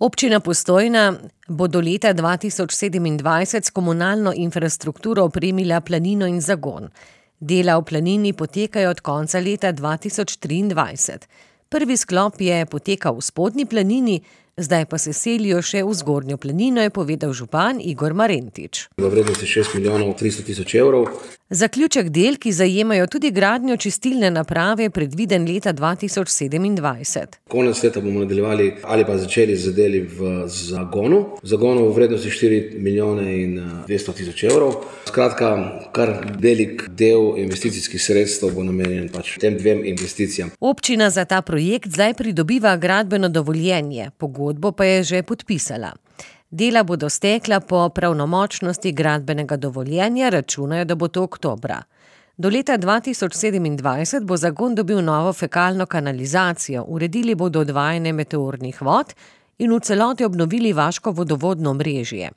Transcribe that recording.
Občina Postojna bo do leta 2027 s komunalno infrastrukturo opremila planino in zagon. Dela v planini potekajo od konca leta 2023. Prvi sklop je potekal v spodnji planini, zdaj pa se selijo še v zgornjo planino, je povedal župan Igor Marentič. V vrednosti 6 milijonov 300 tisoč evrov. Zaključek del, ki zajemajo tudi gradnjo čistilne naprave, je predviden leta 2027. Konec leta bomo nadaljevali ali pa začeli z deli v zagonu. V zagonu v vrednosti 4 milijone in 200 tisoč evrov. Skratka, kar velik del investicijskih sredstev bo namenjen tem dvem investicijam. Občina za ta projekt zdaj pridobiva gradbeno dovoljenje, pogodbo pa je že podpisala. Dela bodo stekla po pravnomočnosti gradbenega dovoljenja, računajo, da bo to oktobra. Do leta 2027 bo zagon dobil novo fekalno kanalizacijo, uredili bodo odvajanje meteornih vod in v celoti obnovili vaško vodovodno omrežje.